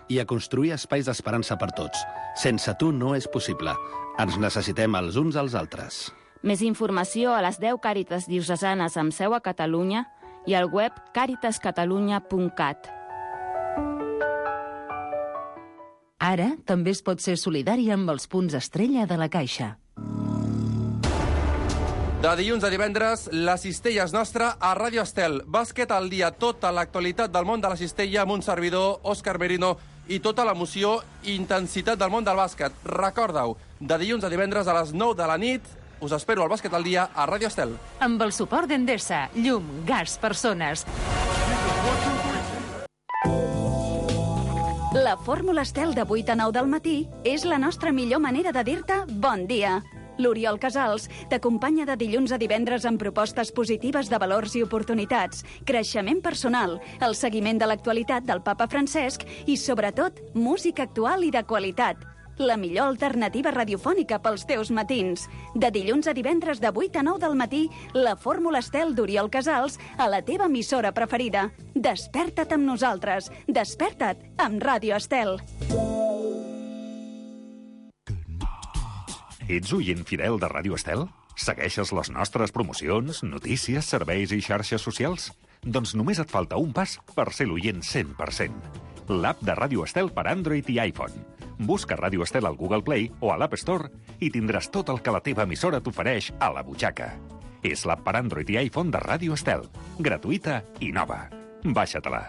i a construir espais d'esperança per tots. Sense tu no és possible. Ens necessitem els uns als altres. Més informació a les 10 Càritas diocesanes amb seu a Catalunya i al web caritascatalunya.cat. Ara també es pot ser solidari amb els punts estrella de la Caixa. De dilluns a divendres, la cistella és nostra a Ràdio Estel. Bàsquet al dia, tota l'actualitat del món de la cistella amb un servidor, Òscar Merino, i tota l'emoció i intensitat del món del bàsquet. Recorda-ho, de dilluns a divendres a les 9 de la nit, us espero al Bàsquet al dia a Ràdio Estel. Amb el suport d'Endesa, llum, gas, persones. La fórmula Estel de 8 a 9 del matí és la nostra millor manera de dir-te bon dia. L'Oriol Casals t'acompanya de dilluns a divendres amb propostes positives de valors i oportunitats, creixement personal, el seguiment de l'actualitat del papa Francesc i, sobretot, música actual i de qualitat. La millor alternativa radiofònica pels teus matins. De dilluns a divendres de 8 a 9 del matí, la fórmula Estel d'Oriol Casals a la teva emissora preferida. Desperta't amb nosaltres. Desperta't amb Ràdio Estel. Ets oient fidel de Ràdio Estel? Segueixes les nostres promocions, notícies, serveis i xarxes socials? Doncs només et falta un pas per ser l'oient 100%. L'app de Ràdio Estel per Android i iPhone. Busca Ràdio Estel al Google Play o a l'App Store i tindràs tot el que la teva emissora t'ofereix a la butxaca. És l'app per Android i iPhone de Ràdio Estel. Gratuïta i nova. Baixa-te-la.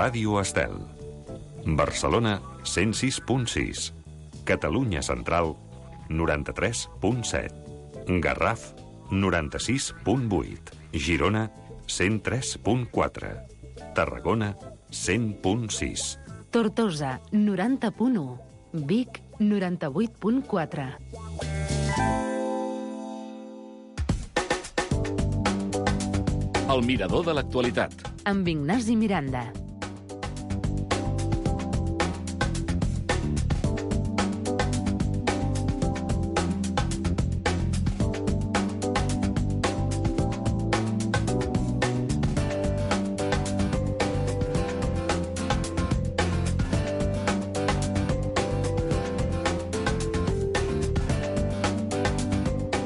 Ràdio Estel. Barcelona, 106.6. Catalunya Central, 93.7. Garraf, 96.8. Girona, 103.4. Tarragona, 100.6. Tortosa, 90.1. Vic, 98.4. El mirador de l'actualitat. Amb Ignasi Miranda.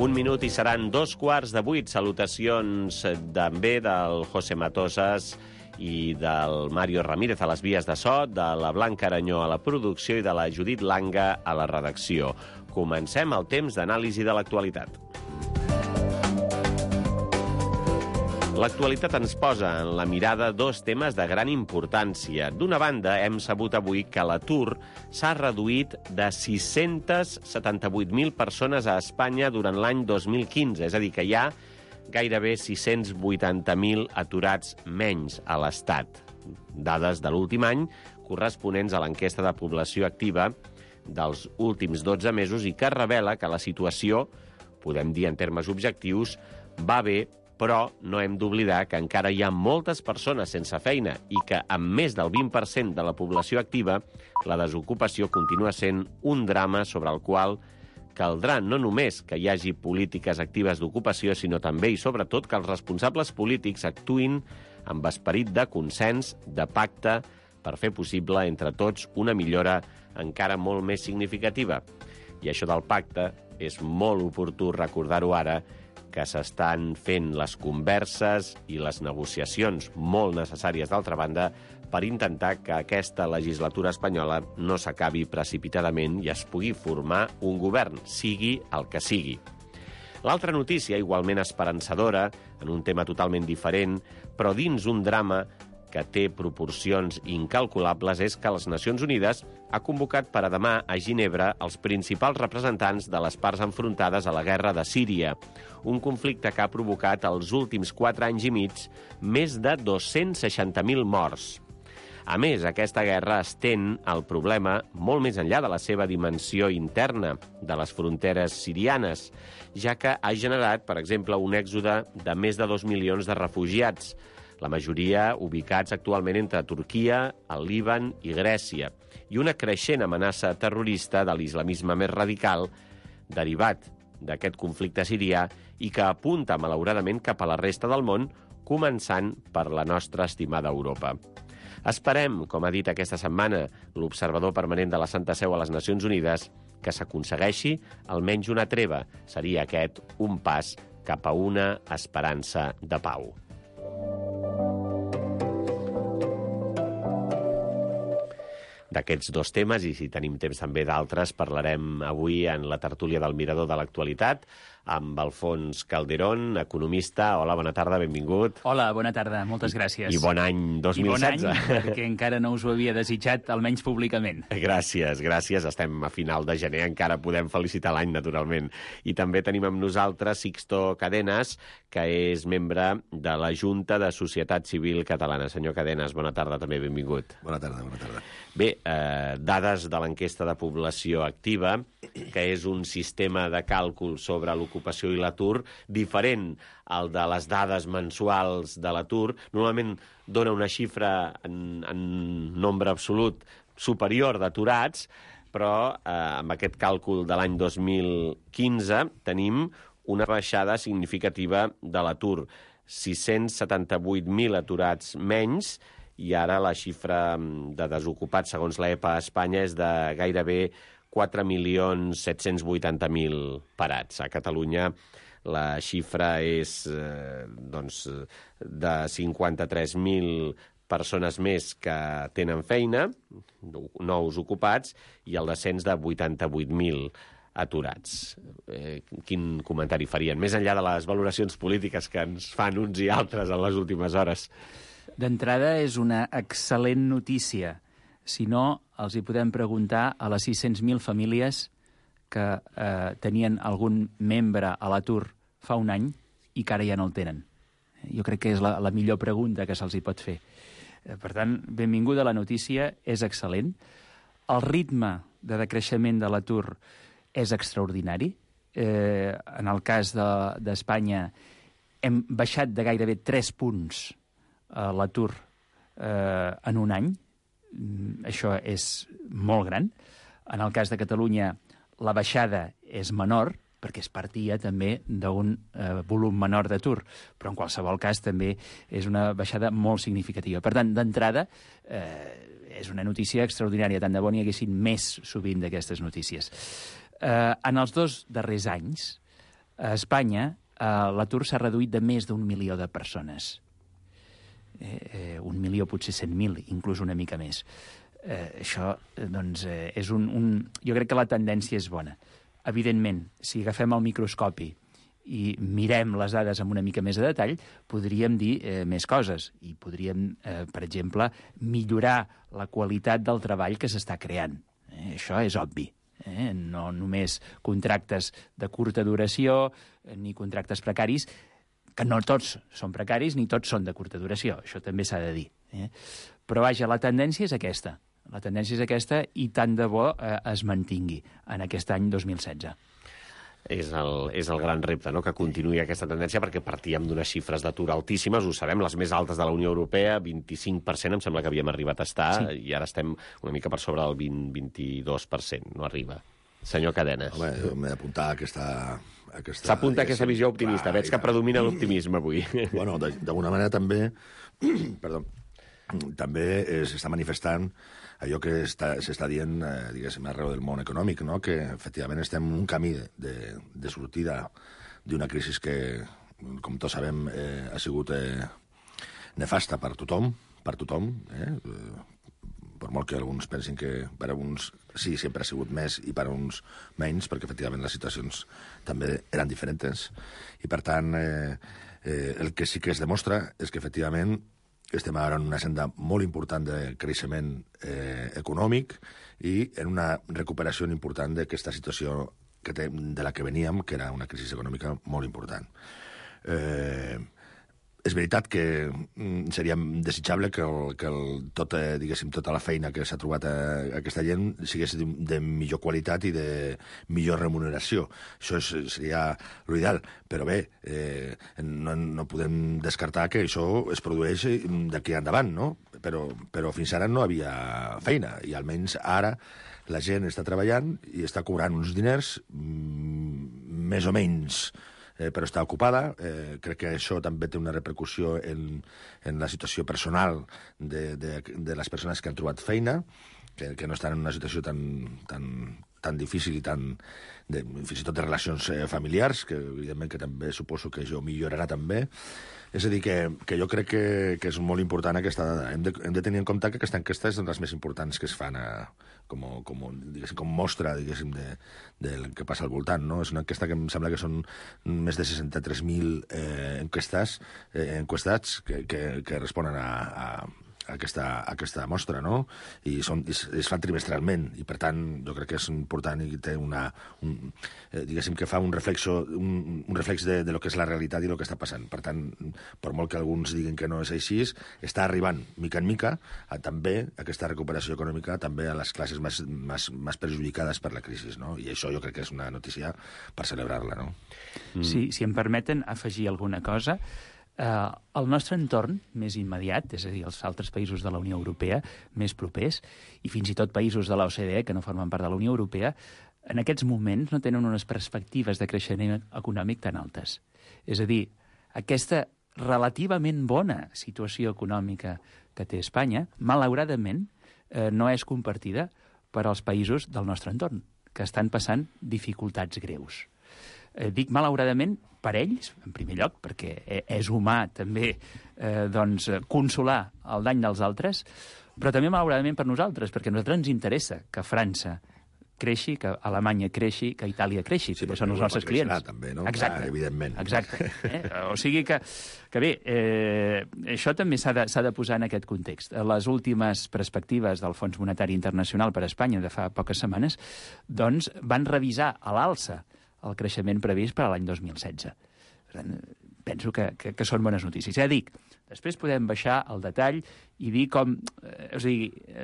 Un minut i seran 2:15. Salutacions també del José Matosas i del Mario Ramírez a les vies de so, de la Blanca Aranyó a la producció i de la Judit Langa a la redacció. Comencem el temps d'anàlisi de l'actualitat. L'actualitat ens posa en la mirada dos temes de gran importància. D'una banda, hem sabut avui que l'atur s'ha reduït de 678.000 persones a Espanya durant l'any 2015, és a dir, que hi ha gairebé 680.000 aturats menys a l'Estat. Dades de l'últim any corresponents a l'enquesta de població activa dels últims 12 mesos i que revela que la situació, podem dir en termes objectius, va bé Però no hem d'oblidar que encara hi ha moltes persones sense feina i que, amb més del 20% de la població activa, la desocupació continua sent un drama sobre el qual caldrà no només que hi hagi polítiques actives d'ocupació, sinó també i sobretot que els responsables polítics actuïn amb esperit de consens, de pacte, per fer possible entre tots una millora encara molt més significativa. I això del pacte és molt oportú recordar-ho ara, que s'estan fent les converses i les negociacions molt necessàries, d'altra banda, per intentar que aquesta legislatura espanyola no s'acabi precipitadament i es pugui formar un govern, sigui el que sigui. L'altra notícia, igualment esperançadora, en un tema totalment diferent, però dins un drama que té proporcions incalculables, és que les Nacions Unides ha convocat per a demà a Ginebra els principals representants de les parts enfrontades a la guerra de Síria, un conflicte que ha provocat els últims 4 anys i mig més de 260.000 morts. A més, aquesta guerra estén el problema molt més enllà de la seva dimensió interna, de les fronteres sirianes, ja que ha generat, per exemple, un èxode de més de 2 milions de refugiats, la majoria ubicats actualment entre Turquia, el Líban i Grècia, i una creixent amenaça terrorista de l'islamisme més radical derivat d'aquest conflicte sirià i que apunta, malauradament, cap a la resta del món, començant per la nostra estimada Europa. Esperem, com ha dit aquesta setmana l'observador permanent de la Santa Seu a les Nacions Unides, que s'aconsegueixi almenys una treva. Seria aquest un pas cap a una esperança de pau. D'aquests 2 temes, i si tenim temps també d'altres, parlarem avui en la tertúlia del Mirador de l'Actualitat amb Alfons Calderón, economista. Hola, bona tarda, benvingut. Hola, bona tarda, moltes gràcies. I bon any 2016. I bon any, perquè encara no us ho havia desitjat, almenys públicament. Gràcies. Estem a final de gener, encara podem felicitar l'any, naturalment. I també tenim amb nosaltres Sixto Cadenas, que és membre de la Junta de Societat Civil Catalana. Senyor Cadenas, bona tarda, també benvingut. Bona tarda. Bé, dades de l'enquesta de població activa, que és un sistema de càlcul sobre l'ocupació i l'atur diferent al de les dades mensuals de l'atur. Normalment dona una xifra en nombre absolut superior d'aturats, però amb aquest càlcul de l'any 2015 tenim una baixada significativa de l'atur. 678.000 aturats menys, i ara la xifra de desocupats, segons l'EPA a Espanya, és de gairebé 4.780.000 parats. A Catalunya la xifra és de 53.000 persones més que tenen feina, nous ocupats, i el descens de 88.000 aturats. Quin comentari farien? Més enllà de les valoracions polítiques que ens fan uns i altres en les últimes hores. D'entrada, és una excel·lent notícia. Si no, els hi podem preguntar a les 600.000 famílies que tenien algun membre a l'atur fa un any i que ara ja no el tenen. Jo crec que és la millor pregunta que se'ls hi pot fer. Per tant, benvinguda la notícia, és excel·lent. El ritme de decreixement de l'atur és extraordinari. En el cas d'Espanya hem baixat de gairebé 3 punts l'atur en un any. Això és molt gran. En el cas de Catalunya, la baixada és menor, perquè es partia també d'un volum menor d'atur, però en qualsevol cas també és una baixada molt significativa. Per tant, d'entrada, és una notícia extraordinària, tant de bo n'hi haguessin més sovint d'aquestes notícies. En els 2 darrers anys, a Espanya, l'atur s'ha reduït de més d'1 milió de persones. 1 milió, potser 100.000, inclús una mica més. Això, doncs, és jo crec que la tendència és bona. Evidentment, si agafem el microscopi i mirem les dades amb una mica més de detall, podríem dir més coses. I podríem, per exemple, millorar la qualitat del treball que s'està creant. Això és obvi. No només contractes de curta duració ni contractes precaris, que no tots són precaris ni tots són de curta duració. Això també s'ha de dir. Però, vaja, la tendència és aquesta. La tendència és aquesta i tant de bo es mantingui en aquest any 2016. És el gran repte, no?, que continuï aquesta tendència, perquè partíem d'unes xifres d'atur altíssimes, ho sabem, les més altes de la Unió Europea, 25% em sembla que havíem arribat a estar, i ara estem una mica per sobre del 22%, no arriba. Senyor Cadenes. Home, m'he d'apuntar aquesta... S'apunta aquesta visió optimista. Veig que predomina l'optimisme avui. Bueno, d'alguna manera també... Perdó. També s'està manifestant allò que s'està dient, diguéssim, arreu del món econòmic, no? Que efectivament estem en un camí de sortida d'una crisi que, com tots sabem, ha sigut nefasta per tothom, per molt que alguns pensin que per a uns sí, sempre ha sigut més i per a uns menys, perquè efectivament les situacions també eren diferents. I per tant, el que sí que es demostra és que efectivament estem ara en una senda molt important de creixement econòmic i en una recuperació important d'aquesta situació de la que veníem, que era una crisi econòmica molt important. És veritat que seria desitjable que tota la feina que s'ha trobat aquesta gent sigués de millor qualitat i de millor remuneració. Això seria l'ideal. Però bé, no podem descartar que això es produeix d'aquí endavant, no? Però fins ara no havia feina, i almenys ara la gent està treballant i està cobrant uns diners més o menys, però està ocupada. Crec que això també té una repercussió en la situació personal de les persones que han trobat feina, que no estan en una situació tan difícil i fins i tot de relacions familiars, que evidentment que també suposo que això millorarà també. És a dir, que jo crec que és molt important aquesta dada. Hem de tenir en compte que aquesta enquesta és una de les més importants que es fan com mostra, diguéssim, del que passa al voltant, no? És una enquesta que em sembla que són més de 63.000 enquestats que responen a aquesta mostra, no? I es fan trimestralment, i per tant jo crec que és important i té diguéssim que fa un reflex de lo que és la realitat i el que està passant. Per tant, per molt que alguns diguin que no és així, està arribant mica en mica també aquesta recuperació econòmica també a les classes més perjudicades per la crisi, no? I això jo crec que és una notícia per celebrar-la, no? Sí, si em permeten afegir alguna cosa. El nostre entorn més immediat, és a dir, els altres països de la Unió Europea més propers, i fins i tot països de l'OCDE que no formen part de la Unió Europea, en aquests moments no tenen unes perspectives de creixement econòmic tan altes. És a dir, aquesta relativament bona situació econòmica que té Espanya, malauradament, no és compartida per als països del nostre entorn, que estan passant dificultats greus. Dic malauradament per ells, en primer lloc, perquè és humà també consolar el dany dels altres, però també malauradament per nosaltres, perquè a nosaltres ens interessa que França creixi, que Alemanya creixi, que Itàlia creixi, perquè són els nostres clients. També, no? Exacte. Evidentment. Exacte. O sigui que bé, això també s'ha de posar en aquest context. Les últimes perspectives del Fons Monetari Internacional per a Espanya de fa poques setmanes doncs van revisar a l'alça el creixement previst per a l'any 2016. Per tant, penso que són bones notícies. Ja dic, després podem baixar al detall i dir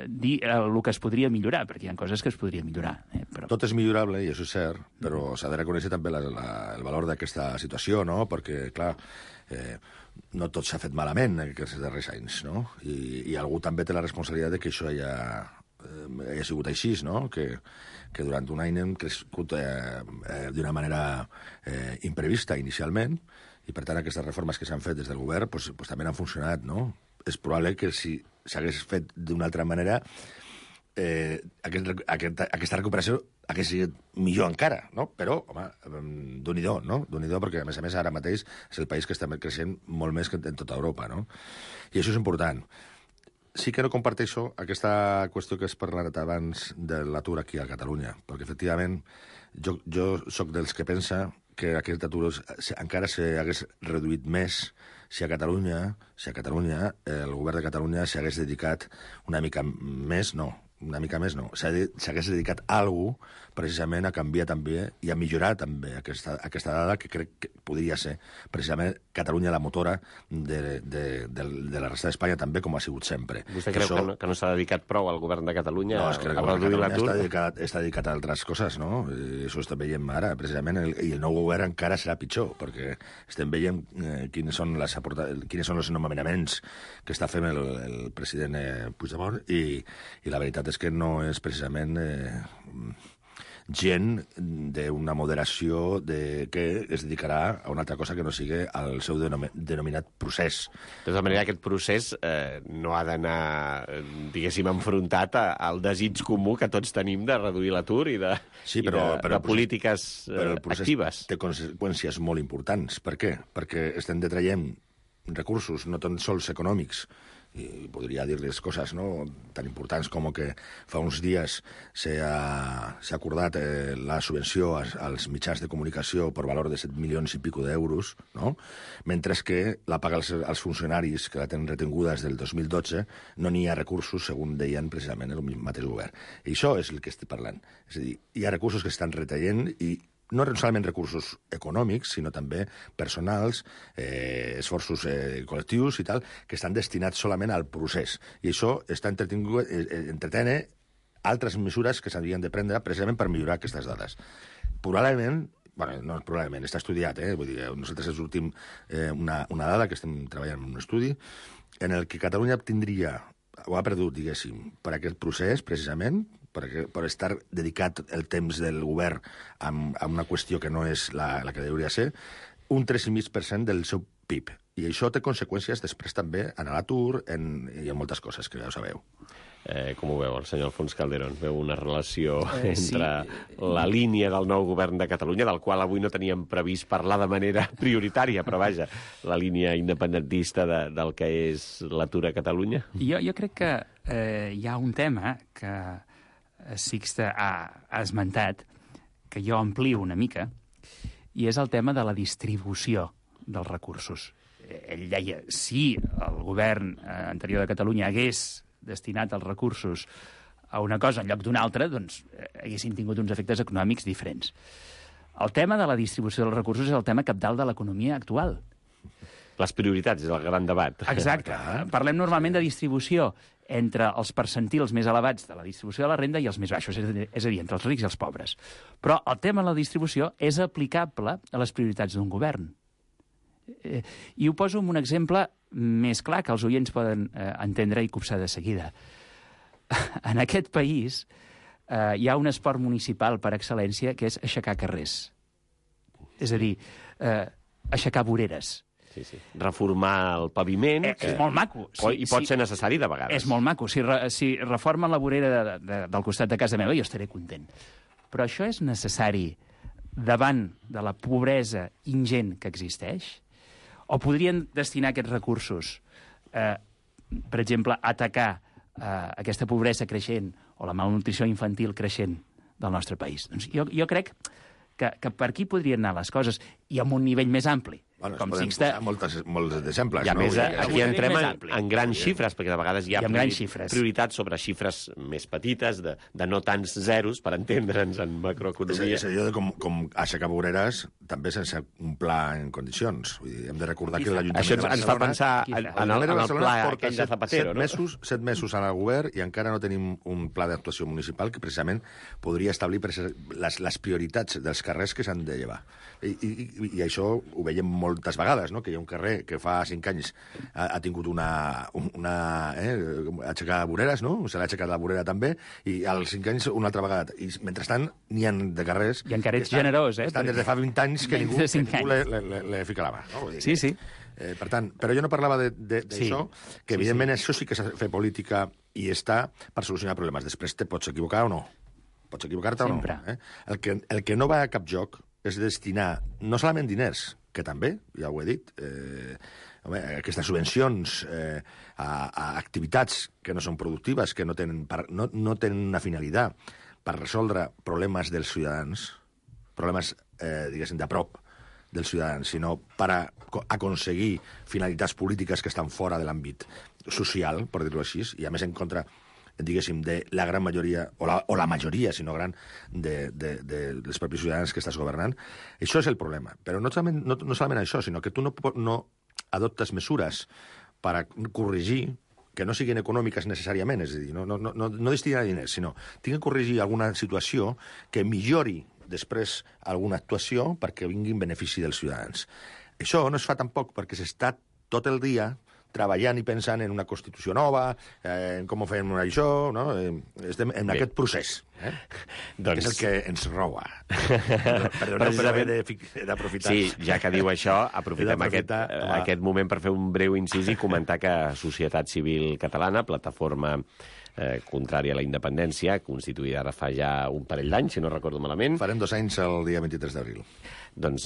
dir el que es podria millorar, perquè hi ha coses que es podrien millorar. Però... Tot és millorable, i això és cert, però s'ha de reconèixer també el valor d'aquesta situació, no? Perquè, clar, no tot s'ha fet malament en aquests darrers anys, no? I algú també té la responsabilitat de que això hagi sigut així, no? Que durant un any hem crescut d'una manera imprevista inicialment, i per tant aquestes reformes que s'han fet des del govern pues també han funcionat, no? És probable que si s'hagués fet d'una altra manera aquesta recuperació hagués sigut millor encara, no? Però, home, Déu-n'hi-do, no? Déu-n'hi-do, perquè a més ara mateix és el país que està creixent molt més que en tota Europa, no? I això és important. Sí que no comparteixo aquesta qüestió que has parlat abans de l'atur aquí a Catalunya, perquè efectivament jo sóc dels que pensa que aquest atur encara s'hagués reduït més si a Catalunya el govern de Catalunya s'hagués dedicat una mica més, no, una mica més no, s'hagués dedicat a algú precisament a canviar també i a millorar també aquesta dada que crec que podria ser precisament Catalunya la motora de la resta d'Espanya també, com ha sigut sempre. Vostè creu que no s'ha dedicat prou al govern de Catalunya a reduir l'atur? Està dedicat a altres coses, no? Això estem veient ara, precisament, i el nou govern encara serà pitjor, perquè estem veient quins són els nomenaments que està fent el president Puigdemont i la veritat és que no és precisament gent d'una moderació que es dedicarà a una altra cosa que no sigui al seu denominat procés. De tota manera, aquest procés no ha d'anar, diguéssim, enfrontat al desig comú que tots tenim de reduir l'atur i de polítiques actives. Però el procés té conseqüències molt importants. Per què? Perquè estem detraient recursos, no tan sols econòmics, i podria dir-les coses tan importants com que fa uns dies s'ha acordat la subvenció als mitjans de comunicació per valor de 7 milions i pico d'euros, mentre que la paga als funcionaris que la tenen retinguda des del 2012 no n'hi ha recursos, segons deien precisament el mateix govern. I això és el que estic parlant. És a dir, hi ha recursos que estan retallant i no solament recursos econòmics, sinó també personals, esforços col·lectius i tal, que estan destinats solament al procés. I això està entretene altres mesures que s'havien de prendre precisament per millorar aquestes dades. Probablement, està estudiat, vull dir, nosaltres sortim una dada que estem treballant en un estudi en el que Catalunya ha perdut, diguéssim, per aquest procés, precisament, per estar dedicat el temps del govern a una qüestió que no és la que hauria de ser, un 3,5% del seu PIB. I això té conseqüències després també en l'atur i en moltes coses, que ja ho sabeu. Com ho veu el senyor Alfons Calderón? Veu una relació entre la línia del nou govern de Catalunya, del qual avui no teníem previst parlar de manera prioritària, però vaja, la línia independentista del que és l'atur a Catalunya? Jo crec que hi ha un tema que Sixte ha esmentat, que jo amplio una mica, i és el tema de la distribució dels recursos. Ell deia, si el govern anterior de Catalunya hagués destinat els recursos a una cosa en lloc d'una altra, doncs haguessin tingut uns efectes econòmics diferents. El tema de la distribució dels recursos és el tema cabdal de l'economia actual. Les prioritats és el gran debat. Exacte. Parlem normalment de distribució entre els percentils més elevats de la distribució de la renda i els més baixos, és a dir, entre els rics i els pobres. Però el tema de la distribució és aplicable a les prioritats d'un govern. I ho poso amb un exemple més clar que els oients poden entendre i copsar de seguida. En aquest país hi ha un esport municipal per excel·lència que és aixecar carrers. És a dir, aixecar voreres. Sí. Reformar el paviment... És molt maco. I pot ser necessari de vegades. És molt maco. Si reformen la vorera del costat de casa meva, jo estaré content. Però això és necessari davant de la pobresa ingent que existeix? O podrien destinar aquests recursos, per exemple, a atacar aquesta pobresa creixent o la malnutrició infantil creixent del nostre país? Doncs jo crec que per aquí podrien anar les coses, i amb un nivell més ampli. Com Sixte... Molts exemples. I a més, aquí entrem en grans xifres, perquè de vegades hi ha prioritats sobre xifres més petites, de no tants zeros, per entendre'ns en macroeconomia. És allò de com aixecar voreres també sense un pla en condicions. Vull dir, hem de recordar que l'Ajuntament de Barcelona... Això ens fa pensar en el pla aquell de Zapatero, no? 7 mesos al govern i encara no tenim un pla d'actuació municipal que precisament podria establir les prioritats dels carrers que s'han de llevar. I això ho veiem moltes vegades, no? Que hi ha un carrer que fa 5 anys ha tingut aixecar voreres, no? Se l'ha aixecat la vorera també, i als 5 anys una altra vegada. I mentrestant n'hi ha de carrers... I encara ets generós, estan des de fa 20 anys que ningú le fica la mà. No? Sí. Per tant, però jo no parlava d'això, que evidentment això sí que s'ha de fer política i està per solucionar problemes. Després te pots equivocar o no. Pots equivocar-te o no. El que no va a cap joc és destinar no solament diners, que també, ja ho he dit, aquestes subvencions a activitats que no són productives, que no tenen una finalitat per resoldre problemes dels ciutadans, problemes, diguéssim, de prop dels ciutadans, sinó per aconseguir finalitats polítiques que estan fora de l'àmbit social, per dir-ho així, i a més en contra diguéssim, de la gran majoria, o la majoria, si no gran, dels propis ciutadans que estàs governant. Això és el problema. Però no solament això, sinó que tu no adoptes mesures per a corregir que no siguin econòmiques necessàriament, és a dir, no destinar diners, sinó tinc que corregir alguna situació que millori després alguna actuació perquè vinguin benefici dels ciutadans. Això no es fa tampoc perquè s'està tot el dia treballant i pensant en una Constitució nova, en com ho fem això, no? Estem en aquest procés, que és el que ens roba. Perdoneu per haver d'aprofitar. Sí, ja que diu això, aprofitem aquest moment per fer un breu incís i comentar que Societat Civil Catalana, plataforma contrària a la independència, constituïda ara fa ja un parell d'anys, si no recordo malament. Farem 2 anys el dia 23 d'abril. Doncs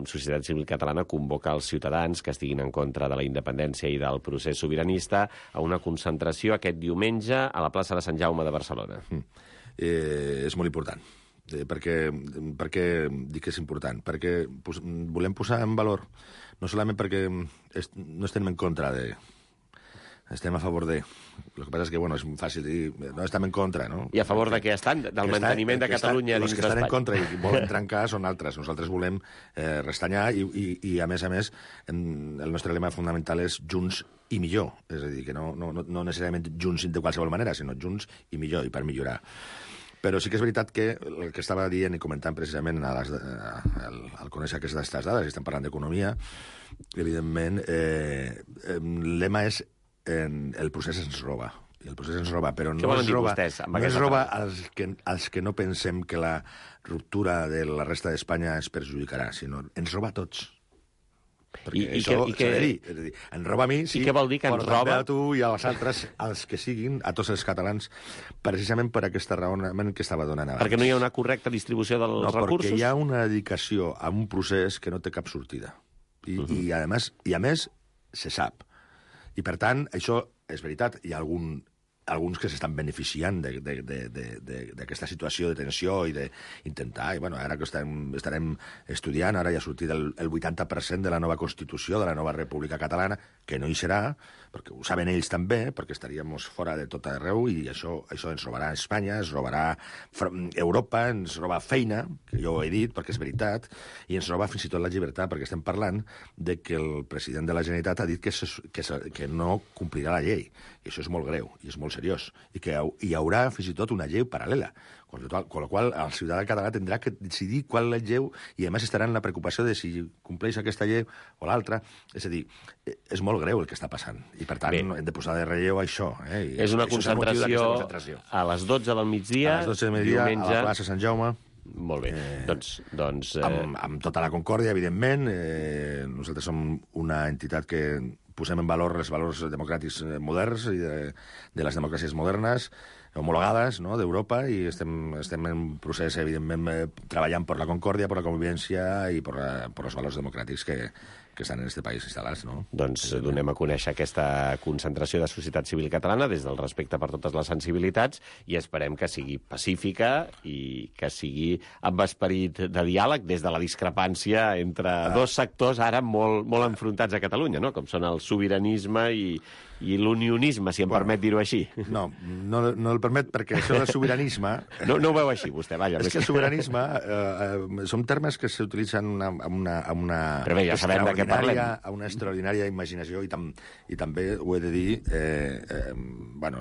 Societat Civil Catalana convoca els ciutadans que estiguin en contra de la independència i del procés sobiranista a una concentració aquest diumenge a la plaça de Sant Jaume de Barcelona. És molt important. Per què dic que és important? Perquè volem posar en valor, no solament perquè no estem en contra de... Estem a favor de... El que passa és que, bueno, és fàcil dir... No estem en contra, no? I a favor de què estan? Del manteniment de Catalunya dins d'Espanya. Els que estan en contra i volen trencar són altres. Nosaltres volem restanyar i a més, el nostre lema fundamental és junts i millor. És a dir, que no necessàriament junts de qualsevol manera, sinó junts i millor, i per millorar. Però sí que és veritat que el que estava dient i comentant precisament al conèixer aquestes dades, i estem parlant d'economia, evidentment, el lema és el procés ens roba. I el procés ens roba, però no ens roba als que no pensem que la ruptura de la resta d'Espanya ens perjudicarà, sinó ens roba a tots. Perquè això s'ha de dir. És a dir, ens roba a mi, sí, què vol dir que ens roba? A tu i als altres, als que siguin, a tots els catalans, precisament per aquesta raonament que estava donant abans. Perquè no hi ha una correcta distribució dels recursos? No, perquè hi ha una dedicació a un procés que no té cap sortida. I a més, se sap. I, per tant, això és veritat. Hi ha alguns que s'estan beneficiant d'aquesta situació de tensió i d'intentar... I, bueno, ara que estarem estudiant, ara ja ha sortit el 80% de la nova Constitució de la nova República Catalana, que no hi serà, perquè ho saben ells també, perquè estaríem fora de tot arreu, i això ens robarà Espanya, ens robarà Europa, ens roba feina, que jo ho he dit, perquè és veritat, i ens roba fins i tot la llibertat, perquè estem parlant de que el president de la Generalitat ha dit que no complirà la llei. I això és molt greu, i és molt seriós, i que hi haurà fins i tot una llei paral·lela, con la qual el ciutadà català tindrà que decidir qual és la llei, i a més estarà en la preocupació de si compleix aquesta llei o l'altra. És a dir, és molt greu el que està passant, i per tant hem de posar de relleu això. És una concentració a les 12 del migdia, a les 12 del migdia, diumenge, a la plaça Sant Jaume. Molt bé, doncs... Amb tota la concòrdia, evidentment. Nosaltres som una entitat que posem en valor els valors democràtics moderns i de les democràcies modernes, homologades, no?, d'Europa, i estem en procés, evidentment, treballant per la concòrdia, per la convivència i per els valors democràtics que estan en aquest país instal·lats, no? Doncs donem a conèixer aquesta concentració de Societat Civil Catalana des del respecte per totes les sensibilitats i esperem que sigui pacífica i que sigui amb esperit de diàleg des de la discrepància entre dos sectors ara molt enfrontats a Catalunya, no?, com són el sobiranisme i l'unionisme, si em permet dir-ho així. No el permet perquè això del sobiranisme... No ho veu així, vostè, vaja. És que el sobiranisme són termes que s'utilitzen amb una... Però bé, ja sabem de què parlem. A una extraordinària imaginació i també ho he de dir,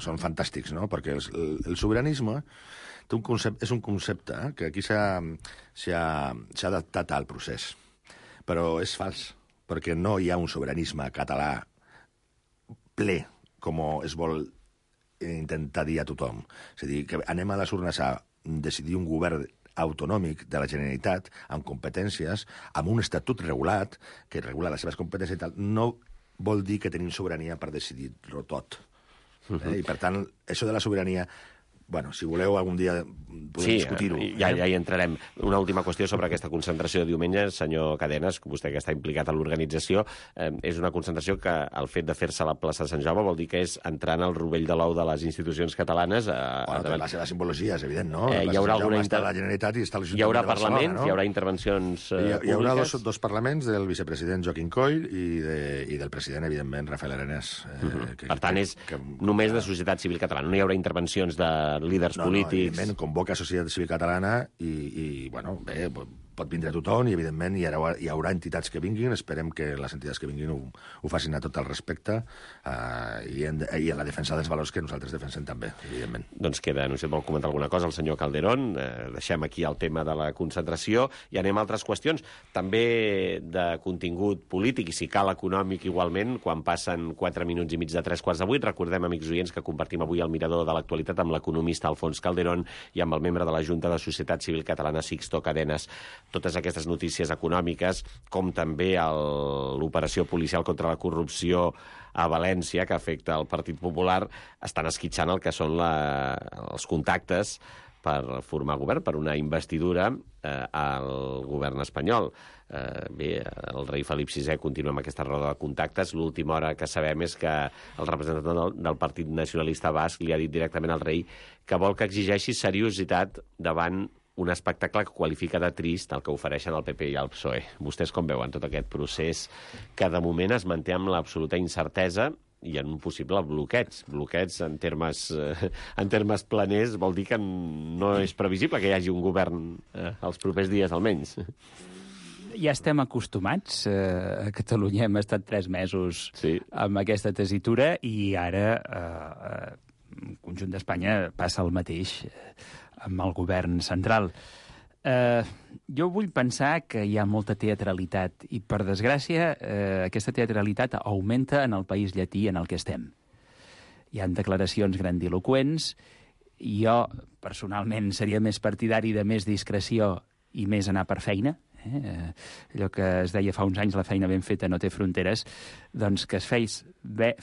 són fantàstics, no? Perquè el sobiranisme és un concepte que aquí s'ha adaptat al procés, però és fals, perquè no hi ha un sobiranisme català ple, com es vol intentar dir a tothom. És a dir, que anem a les urnes a decidir un govern autonòmic de la Generalitat, amb competències, amb un estatut regulat, que regula les seves competències i tal, no vol dir que tenim sobirania per decidir-ho tot. I, per tant, això de la sobirania bueno, si voleu algun dia podem discutir-ho. Ja hi entrarem. Una última qüestió sobre aquesta concentració de diumenge, senyor Cadenes, vostè que està implicat en l'organització, és una concentració que el fet de fer-se a la plaça de Sant Jaume vol dir que és entrar en el rovell de l'ou de les institucions catalanes. Té la seva simbologia, és evident, no? Hi haurà alguna la Generalitat i està hi haurà parlaments, hi haurà intervencions públiques. Hi haurà dos parlaments del vicepresident Joaquim Coll i del president, evidentment, Rafael Arenés. Per tant, és només de societat civil catalana. No hi haurà intervencions de líders polítics. Evidentment, convoca societat civil catalana i bueno, bé, pot vindre tothom i, evidentment, hi haurà entitats que vinguin. Esperem que les entitats que vinguin ho facin a tot el respecte i en la defensa dels valors que nosaltres defensem també, evidentment. Doncs queda, no sé si vol comentar alguna cosa el senyor Calderón. Deixem aquí el tema de la concentració i anem a altres qüestions, també de contingut polític i, si cal, econòmic igualment, quan passen 4 minuts i mig de 3:15. Recordem, amics oients, que compartim avui el mirador de l'actualitat amb l'economista Alfons Calderón i amb el membre de la Junta de Societat Civil Catalana, Sixto Cadenes. Totes aquestes notícies econòmiques, com també l'operació policial contra la corrupció a València, que afecta el Partit Popular, estan esquitxant el que són els contactes per formar govern, per una investidura al govern espanyol. Bé, el rei Felip VI continua amb aquesta roda de contactes. L'última hora que sabem és que el representant del Partit Nacionalista Basc li ha dit directament al rei que vol que exigeixi seriositat davant un espectacle que qualifica de trist el que ofereixen el PP i el PSOE. Vostès com veuen tot aquest procés que de moment es manté amb l'absoluta incertesa i en un possible bloqueig. Bloqueig en termes planers vol dir que no és previsible que hi hagi un govern els propers dies almenys. Ja estem acostumats. A Catalunya hem estat 3 mesos amb aquesta tessitura i ara el conjunt d'Espanya passa el mateix amb el govern central. Jo vull pensar que hi ha molta teatralitat i, per desgràcia, aquesta teatralitat augmenta en el país llatí en el que estem. Hi ha declaracions grandiloqüents i jo, personalment, seria més partidari de més discreció i més anar per feina. Allò que es deia fa uns anys, la feina ben feta no té fronteres, doncs que es fes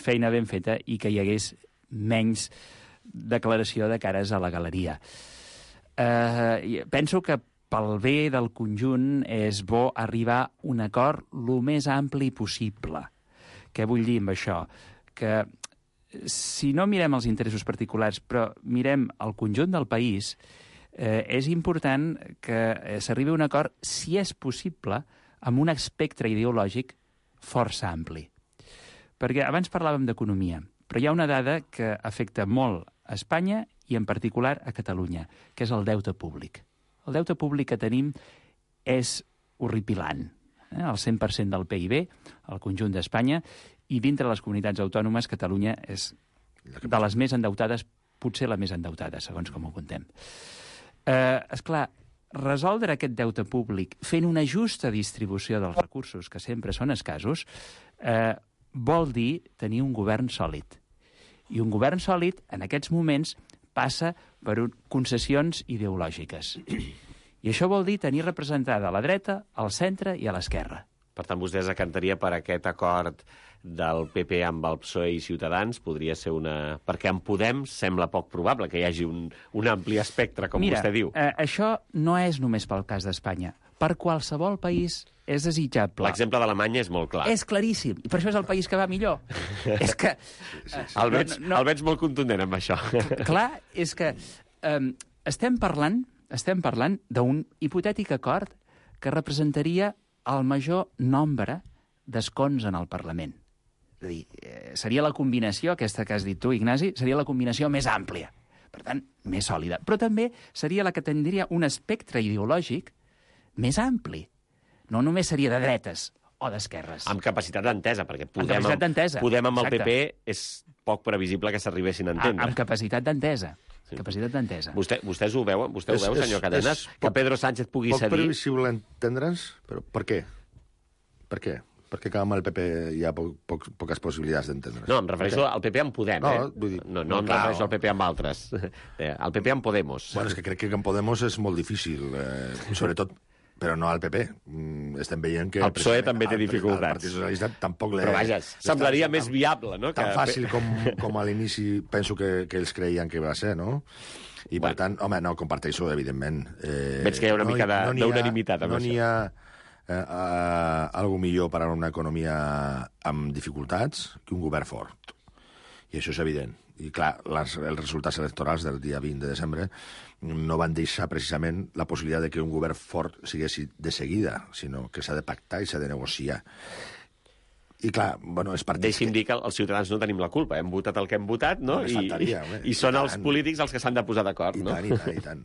feina ben feta i que hi hagués menys declaració de cares a la galeria. Penso que pel bé del conjunt és bo arribar a un acord el més ampli possible. Què vull dir amb això? Que si no mirem els interessos particulars, però mirem el conjunt del país, és important que s'arribi a un acord, si és possible, amb un espectre ideològic força ampli. Perquè abans parlàvem d'economia, però hi ha una dada que afecta molt a Espanya i en particular a Catalunya, que és el deute públic. El deute públic que tenim és horripilant. El 100% del PIB, el conjunt d'Espanya, i dintre les comunitats autònomes, Catalunya és de les més endeutades, potser la més endeutada, segons com ho contem. Esclar, resoldre aquest deute públic fent una justa distribució dels recursos, que sempre són escassos, vol dir tenir un govern sòlid. I un govern sòlid, en aquests moments, passa per concessions ideològiques. I això vol dir tenir representada a la dreta, al centre i a l'esquerra. Per tant, vostè es decantaria per aquest acord del PP amb el PSOE i Ciutadans? Podria ser una... Perquè en Podem sembla poc probable que hi hagi un ampli espectre, com vostè diu. Mira, això no és només pel cas d'Espanya. Per qualsevol país és desitjable. L'exemple d'Alemanya és molt clar. És claríssim. I per això és el país que va millor. És que... El veig molt contundent amb això. Clar, és que estem parlant d'un hipotètic acord que representaria el major nombre d'escons en el Parlament. És a dir, seria la combinació, aquesta que has dit tu, Ignasi, seria la combinació més àmplia. Per tant, més sòlida. Però també seria la que tindria un espectre ideològic més ampli. No només seria de dretes o d'esquerres. Amb capacitat d'entesa, perquè Podem amb el PP és poc previsible que s'arribessin a entendre. Amb capacitat d'entesa. Sí. Capacitat d'entesa. Vostès ho veuen? Vostè ho veu, senyor Cadenes? Que Pedro Sánchez pugui cedir? Poc previsible entendre'ns, però per què? Per què? Perquè amb el PP hi ha poques possibilitats d'entendre's. No, em refereixo al PP amb Podem, No em refereixo al PP amb altres. Al PP amb Podemos. Bueno, és que crec que amb Podemos és molt difícil, sobretot però no al PP. Estem veient que... El PSOE també té dificultats. El Partit Socialista tampoc... Però vaja, semblaria més viable, no? Tan fàcil com a l'inici penso que ells creien que va ser, no? I per tant, home, no, comparteixo, evidentment. Veig que hi ha una mica d'unanimitat. No n'hi ha algo millor per a una economia amb dificultats que un govern fort. I això és evident. I clar, els resultats electorals del dia 20 de desembre no van deixar precisament la possibilitat de que un govern fort siguessi de seguida, sinó que s'ha de pactar i s'ha de negociar. I clar, bueno, és partits... Deixi'm dir que els ciutadans no tenim la culpa. Hem votat el que hem votat, no? I són els polítics els que s'han de posar d'acord, no? I tant.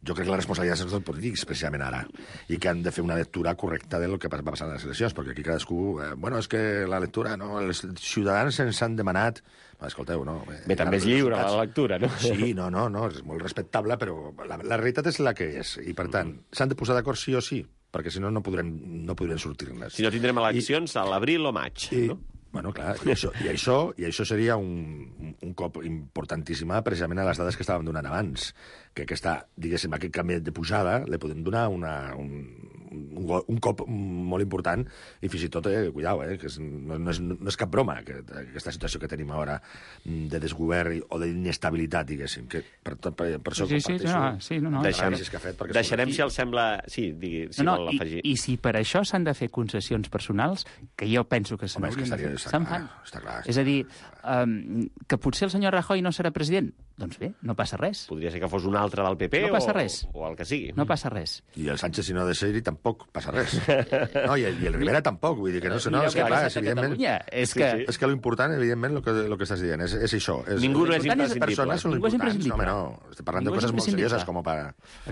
Jo crec que la responsabilitat és dels polítics, precisament ara, i que han de fer una lectura correcta del que va passar en les eleccions, perquè aquí cadascú... Bueno, és que la lectura, no? Els ciutadans ens han demanat... Escolteu, no? Bé, també és lliure la lectura, no? Sí, no, és molt respectable, però la realitat és la que és, i per tant, s'han de posar d'acord sí o sí, perquè si no, no podrem sortir-ne. Si no, tindrem eleccions a l'abril o maig, no? Bueno, clar, i això seria un cop importantíssim precisament a les dades que estàvem donant abans, que diguéssim, aquest canvi de pujada li podem donar un cop molt important i fins i tot, cuidao, que no és cap broma aquesta situació que tenim ara de desgovern o d'inestabilitat, diguéssim, que per això comparteixo. Deixarem, si els sembla... Sí, vol afegir. I si per això s'han de fer concessions personals, que jo penso que se'n fan. És a dir, que potser el senyor Rajoy no serà president. Doncs bé, no passa res. Podria ser que fos un altre del PP o el que sigui. No passa res. I el Sánchez, si no ha de ser-hi, tampoc passa res. No, i el Rivera tampoc. Vull dir que no, és que clar, evidentment... És que l'important, evidentment, el que estàs dient, és això. Ningú no és imprescindible. Les persones són importants. No, estem parlant de coses molt serioses com per...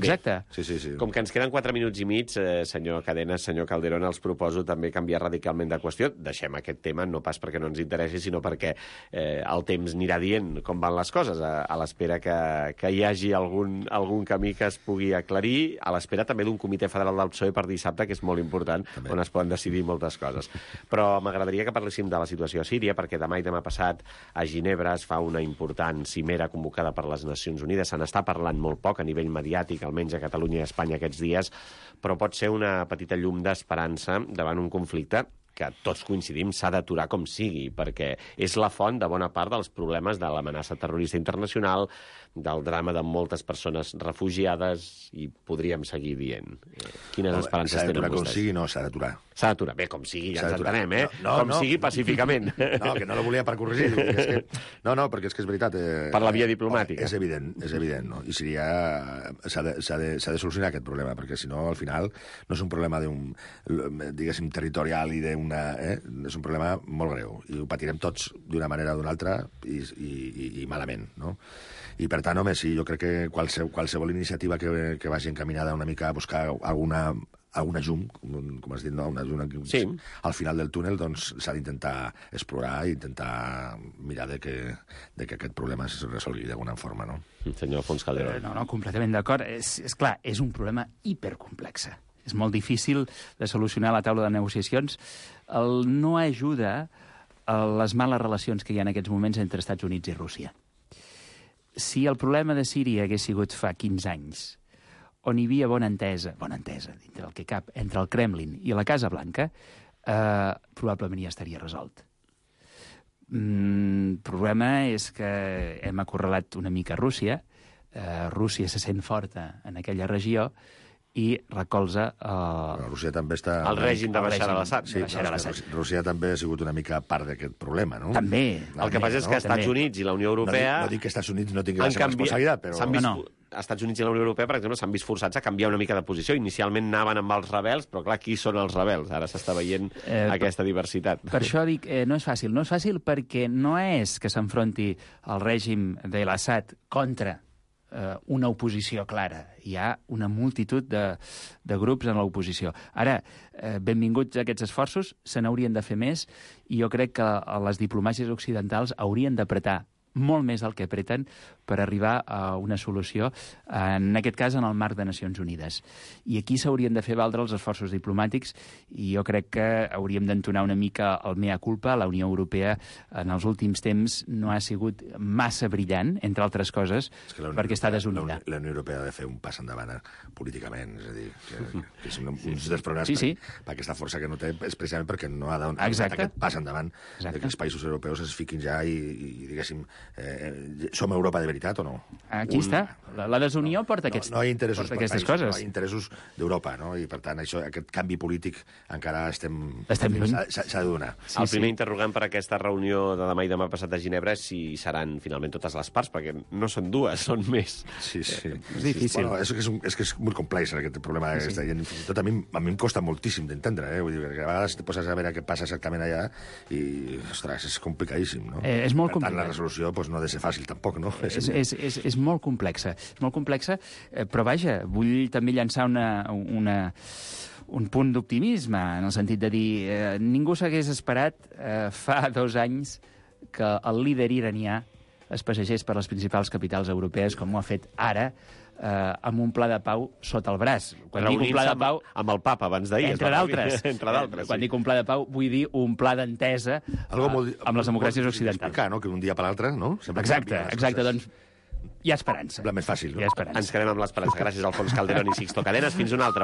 Exacte. Sí. Com que ens queden 4 minuts i mig, senyor Cadenas, senyor Calderón, els proposo també canviar radicalment de qüestió. Deixem aquest tema, no pas perquè no ens interessi, sinó perquè el temps anirà dient com van les coses, a l'espera que hi hagi algun camí que es pugui aclarir, a l'espera també d'un comitè federal del PSOE per dissabte, que és molt important, on es poden decidir moltes coses. Però m'agradaria que parléssim de la situació a Síria, perquè demà i demà passat a Ginebra es fa una important cimera convocada per les Nacions Unides. Se n'està parlant molt poc a nivell mediàtic, almenys a Catalunya i a Espanya aquests dies, però pot ser una petita llum d'esperança davant un conflicte que tots coincidim s'ha d'aturar com sigui, perquè és la font de bona part dels problemes de l'amenaça terrorista internacional, del drama de moltes persones refugiades, i podríem seguir dient. Quines esperances tenen vostès? Com sigui, no, s'ha d'aturar. S'ha d'aturar. Bé, com sigui, ja ens entenem, com sigui pacíficament. No, que no la volia per corregir. No, perquè és que és veritat. Per la via diplomàtica. És evident, no? I Síria s'ha de solucionar aquest problema, perquè si no, al final, no és un problema diguéssim, territorial i és un problema molt greu. I ho patirem tots d'una manera o d'una altra i malament, no? I per tant, home, sí, jo crec que qualsevol iniciativa que vagi encaminada una mica a buscar alguna llum, com has dit, no? Una llum al final del túnel, doncs s'ha d'intentar explorar i intentar mirar de que aquest problema es resolgui d'alguna forma, no? Senyor Alfons Calderón. No, completament d'acord. És clar, és un problema hipercomplex. És molt difícil de solucionar a la taula de negociacions. No ajuda a les males relacions que hi ha en aquests moments entre Estats Units i Rússia. Si el problema de Síria hagués sigut fa 15 anys, on hi havia bona entesa, dintre el que cap, entre el Kremlin i la Casa Blanca, probablement ja estaria resolt. El problema és que hem acorralat una mica Rússia, Rússia se sent forta en aquella regió, i recolza... Rússia també està... El règim de Bashar al-Assad. Sí, Rússia també ha sigut una mica part d'aquest problema, no? També. El que passa és que Estats Units i la Unió Europea... No dic que Estats Units no tingui la seva responsabilitat, però... Estats Units i la Unió Europea, per exemple, s'han vist forçats a canviar una mica de posició. Inicialment anaven amb els rebels, però clar, qui són els rebels? Ara s'està veient aquesta diversitat. Per això dic, no és fàcil. No és fàcil perquè no és que s'enfronti el règim de l'Assad contra una oposició clara. Hi ha una multitud de grups en l'oposició. Ara, benvinguts a aquests esforços, se n'haurien de fer més, i jo crec que les diplomàcies occidentals haurien d'apretar molt més del que apreten per arribar a una solució, en aquest cas en el marc de Nacions Unides. I aquí s'haurien de fer valdre els esforços diplomàtics i jo crec que hauríem d'entonar una mica el mea culpa. La Unió Europea en els últims temps no ha sigut massa brillant, entre altres coses, perquè està desunida. La Unió Europea ha de fer un pas endavant políticament, és a dir, que és un dels problemes per aquesta força que no té, és precisament perquè no ha donat aquest pas endavant que els països europeus es fiquin ja i diguéssim, som Europa de veritat o no? Aquí està. La desunió porta aquestes coses. No hi ha interessos d'Europa, no? I per tant, aquest canvi polític encara s'ha de donar. El primer interrogant per aquesta reunió de demà i demà passat a Ginebra és si seran finalment totes les parts, perquè no són dues, són més. Sí. És difícil. Bueno, és que és molt complex aquest problema. I fins i tot a mi em costa moltíssim d'entendre, Vull dir, perquè a vegades te poses a veure què passa exactament allà i, ostres, és complicadíssim, no? És molt complicat. Per tant, la resolució no ha de ser fàcil tampoc, no? És molt complexa. És molt complexa, però vaja, vull també llançar un punt d'optimisme, en el sentit de dir ningú s'hagués esperat fa 2 anys que el líder iranià es passegés per les principals capitals europees, com ho ha fet ara, amb un pla de pau sota el braç. Quan dic un pla de pau... Amb el papa, abans d'ahir. Entre d'altres. Quan dic un pla de pau, vull dir un pla d'entesa amb les democràcies occidentals. Que d'un dia per l'altre, no? Exacte, doncs hi ha esperança. Sembla més fàcil, no? Hi ha esperança. Ens quedem amb l'esperança. Gràcies, Alfons Calderón i Sixto Cadenas. Fins una altra.